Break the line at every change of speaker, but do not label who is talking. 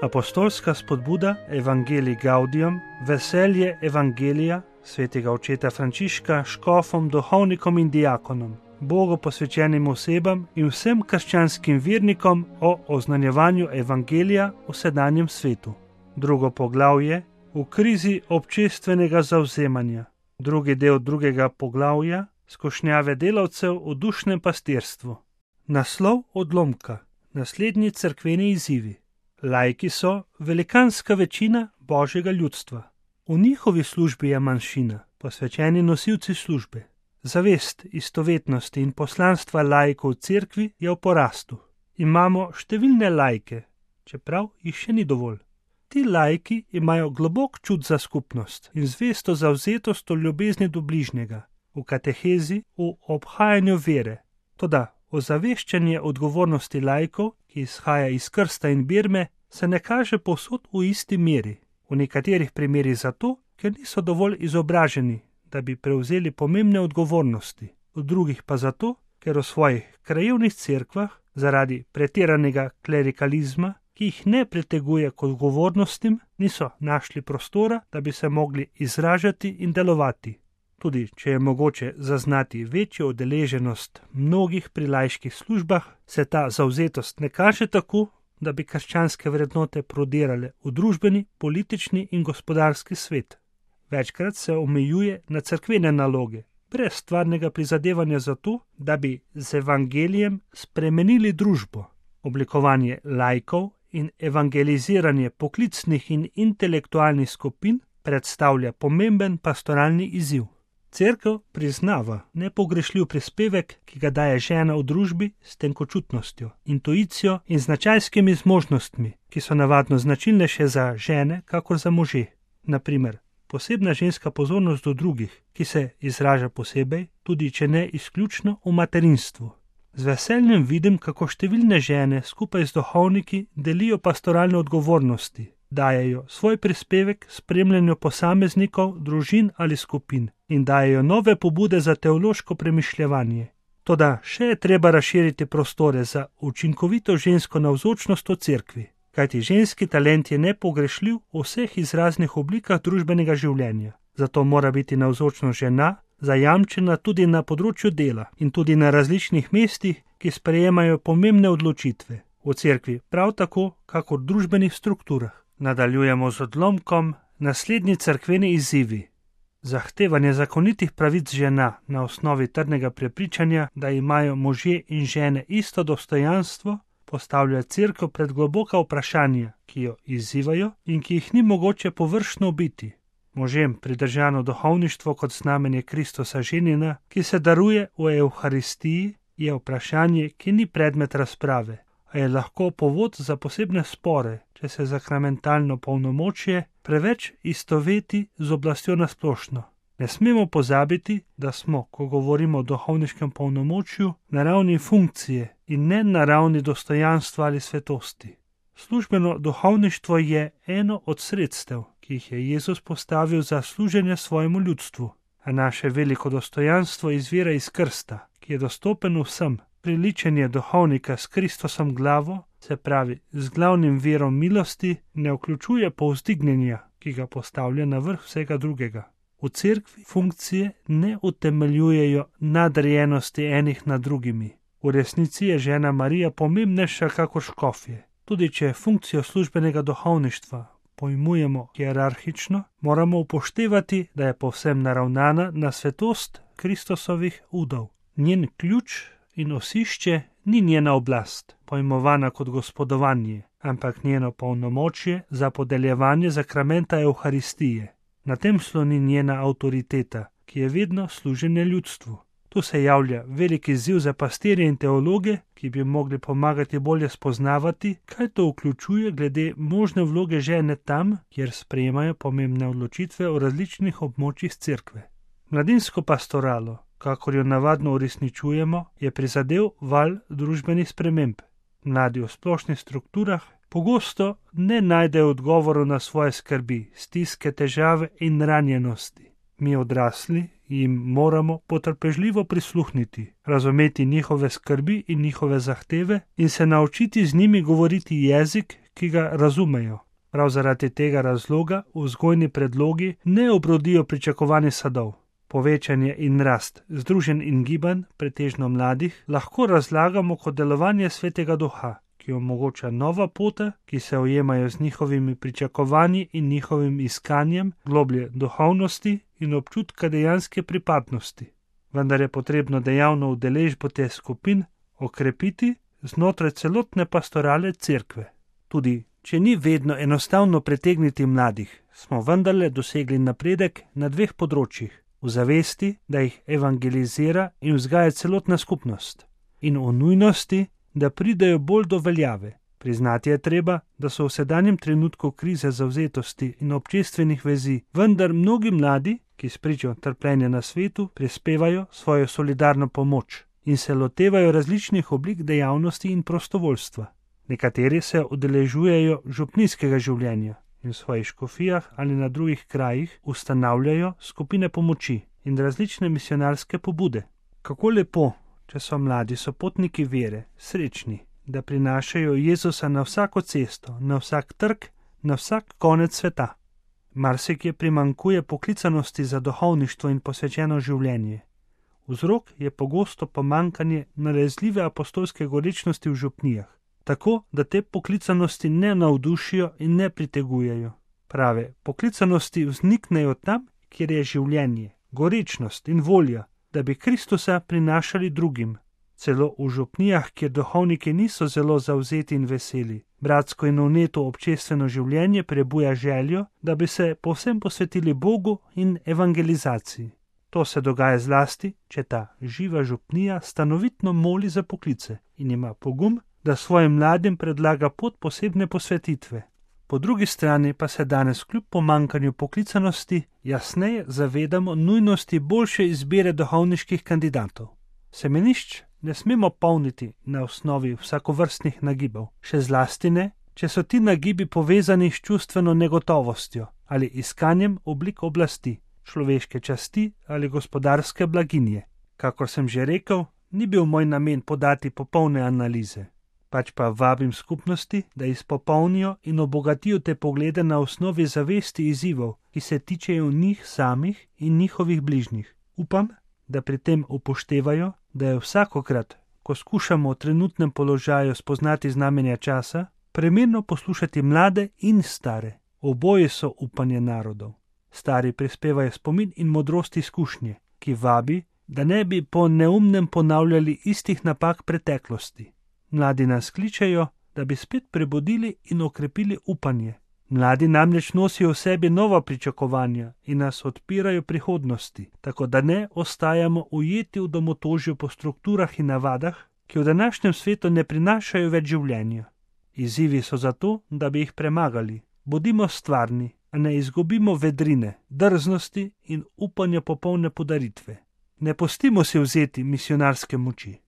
Apostolska spodbuda Evangelii Gaudium, veselje Evangelija svetega očeta Frančiška škofom, duhovnikom in diakonom, Bogu posvečenim osebam in vsem krščanskim vernikom o oznanjevanju Evangelija v sedanjem svetu. Drugo poglavje v krizi občestvenega zavzemanja. Drugi del drugega poglavja skušnjave delavcev v dušnem pastirstvu. Naslov odlomka. Naslednji cerkveni izzivi. Laiki so velikanska večina Božjega ljudstva. V njihovi službi je manjšina, posvečeni nosilci službe. Zavest istovetnosti in poslanstva laikov v cerkvi je v porastu. Imamo številne laike, čeprav jih še ni dovolj. Ti laiki imajo globok čut za skupnost in zvesto zavzetost v ljubezni do bližnjega, v katehezi, v obhajanju vere. Toda ozaveščanje odgovornosti laikov, ki izhaja iz krsta in birme, se ne kaže povsod v isti meri. V nekaterih primerih zato, ker niso dovolj izobraženi, da bi prevzeli pomembne odgovornosti, v drugih pa zato, ker v svojih krajevnih cerkvah zaradi pretiranega klerikalizma, ki jih ne priteguje k odgovornostim, niso našli prostora, da bi se mogli izražati in delovati. Tudi če je mogoče zaznati večjo udeleženost mnogih pri laiških službah, se ta zavzetost ne kaže tako, da bi krščanske vrednote prodirale v družbeni, politični in gospodarski svet. Večkrat se omejuje na cerkvene naloge, brez stvarnega prizadevanja za to, da bi z evangelijem spremenili družbo. Oblikovanje laikov in evangeliziranje poklicnih in intelektualnih skupin predstavlja pomemben pastoralni izziv. Cerkev priznava nepogrešljiv prispevek, ki ga daje žena v družbi s tenkočutnostjo, intuicijo in značajskimi zmožnostmi, ki so navadno značilnejše za žene kakor za može. Naprimer, posebna ženska pozornost do drugih, ki se izraža posebej, tudi če ne izključno v materinstvu. Z veseljem vidim, kako številne žene skupaj z duhovniki delijo pastoralne odgovornosti, dajejo svoj prispevek spremljanju posameznikov, družin ali skupin in dajejo nove pobude za teološko premišljevanje. Toda še je treba razširiti prostore za učinkovito žensko navzočnost v cerkvi, kajti ženski talent je nepogrešljiv v vseh izraznih oblikah družbenega življenja. Zato mora biti navzočnost žena zajamčena tudi na področju dela in tudi na različnih mestih, ki sprejemajo pomembne odločitve. V cerkvi prav tako, kakor v družbenih strukturah. Nadaljujemo z odlomkom naslednji cerkveni izzivi. Zahtevanje zakonitih pravic žena na osnovi trdnega prepričanja, da imajo možje in žene isto dostojanstvo, postavlja cerkev pred globoka vprašanja, ki jo izzivajo in ki jih ni mogoče površno obiti. Možem pridržano duhovništvo kot znamenje Kristusa ženina, ki se daruje v Evharistiji, je vprašanje, ki ni predmet razprave, a je lahko povod za posebne spore, če se zakramentalno polnomočje preveč istoveti z oblastjo nasplošno. Ne smemo pozabiti, da smo, ko govorimo o duhovniškem polnomočju, na ravni funkcije in ne na ravni dostojanstva ali svetosti. Službeno duhovništvo je eno od sredstev, ki jih je Jezus postavil za služenje svojemu ljudstvu, a naše veliko dostojanstvo izvira iz krsta, ki je dostopen vsem. Priličenje duhovnika s Kristusom glavo, se pravi z glavnim virom milosti, ne vključuje povzdignjenja, ki ga postavlja na vrh vsega drugega. V cerkvi funkcije ne utemeljujejo nadrejenosti enih nad drugimi. V resnici je žena Marija pomembnejša kakor škofje. Tudi če funkcijo službenega duhovništva pojmujemo hierarhično, moramo upoštevati, da je povsem naravnana na svetost Kristusovih udov. Njen ključ in osišče ni njena oblast, pojmovana kot gospodovanje, ampak njeno polnomočje za podeljevanje zakramenta Evharistije. Na tem sloni njena avtoriteta, ki je vedno služenje ljudstvu. Tu se javlja velik izziv za pastirje in teologe, ki bi mogli pomagati bolje spoznavati, kaj to vključuje glede možne vloge žene tam, kjer sprejemajo pomembne odločitve o različnih območjih cerkve. Mladinsko pastoralo, kakor jo navadno uresničujemo, je prizadel val družbenih sprememb. Mladi v splošnih strukturah pogosto ne najdejo odgovorov na svoje skrbi, stiske, težave in ranjenosti. Mi odrasli jim moramo potrpežljivo prisluhniti, razumeti njihove skrbi in njihove zahteve in se naučiti z njimi govoriti jezik, ki ga razumejo. Prav zaradi tega razloga vzgojni predlogi ne obrodijo pričakovanih sadov. Povečanje in rast združenj in gibanj, pretežno mladih, lahko razlagamo kot delovanje Svetega Duha, ki omogoča nova pota, ki se ujemajo z njihovimi pričakovanji in njihovim iskanjem globlje duhovnosti in občutka dejanske pripadnosti. Vendar je potrebno dejavno udeležbo teh skupin okrepiti znotraj celotne pastorale cerkve. Tudi če ni vedno enostavno pritegniti mladih, smo vendarle dosegli napredek na dveh področjih. V zavesti, da jih evangelizira in vzgaja celotna skupnost, in o nujnosti, da pridejo bolj do veljave. Priznati je treba, da so v sedanjem trenutku krize zavzetosti in občestvenih vezi, vendar mnogi mladi, ki spričo trpljenja na svetu, prispevajo svojo solidarno pomoč in se lotevajo različnih oblik dejavnosti in prostovoljstva. Nekateri se udeležujejo župnijskega življenja in v svojih škofijah ali na drugih krajih ustanavljajo skupine pomoči in različne misionarske pobude. Kako lepo, če so mladi sopotniki vere, srečni, da prinašajo Jezusa na vsako cesto, na vsak trg, na vsak konec sveta. Marsikje primanjkuje poklicanosti za duhovništvo in posvečeno življenje. Vzrok je pogosto pomanjkanje nalezljive apostolske gorečnosti v župnijah, tako da te poklicanosti ne navdušijo in ne pritegujejo. Prave poklicanosti vzniknejo tam, kjer je življenje, gorečnost in volja, da bi Kristusa prinašali drugim. Celo v župnijah, kjer duhovniki niso zelo zavzeti in veseli, bratsko in vneto občestveno življenje prebuja željo, da bi se povsem posvetili Bogu in evangelizaciji. To se dogaja zlasti, če ta živa župnija stanovitno moli za poklice in ima pogum, da svojim mladim predlaga pot posebne posvetitve. Po drugi strani pa se danes kljub pomanjkanju poklicanosti jasneje zavedamo nujnosti boljše izbire duhovniških kandidatov. Semenišč ne smemo polniti na osnovi vsakovrstnih nagibov, še zlasti ne, če so ti nagibi povezani s čustveno negotovostjo ali iskanjem oblik oblasti, človeške časti ali gospodarske blaginje. Kakor sem že rekel, ni bil moj namen podati popolne analize, pač pa vabim skupnosti, da izpopolnijo in obogatijo te poglede na osnovi zavesti izzivov, ki se tičejo njih samih in njihovih bližnjih. Upam, da pri tem upoštevajo, da je vsakokrat, ko skušamo v trenutnem položaju spoznati znamenja časa, primerno poslušati mlade in stare. Oboje so upanje narodov. Stari prispevajo spomin in modrost izkušnje, ki vabi, da ne bi po neumnem ponavljali istih napak preteklosti. Mladi nas kličejo, da bi spet prebudili in okrepili upanje. Mladi namreč nosijo v sebi nova pričakovanja in nas odpirajo prihodnosti, tako da ne ostajamo ujeti v domotožju po strukturah in navadah, ki v današnjem svetu ne prinašajo več življenja. Izzivi so zato, da bi jih premagali. Bodimo stvarni, a ne izgubimo vedrine, drznosti in upanja popolne podaritve. Ne pustimo si vzeti misionarske moči.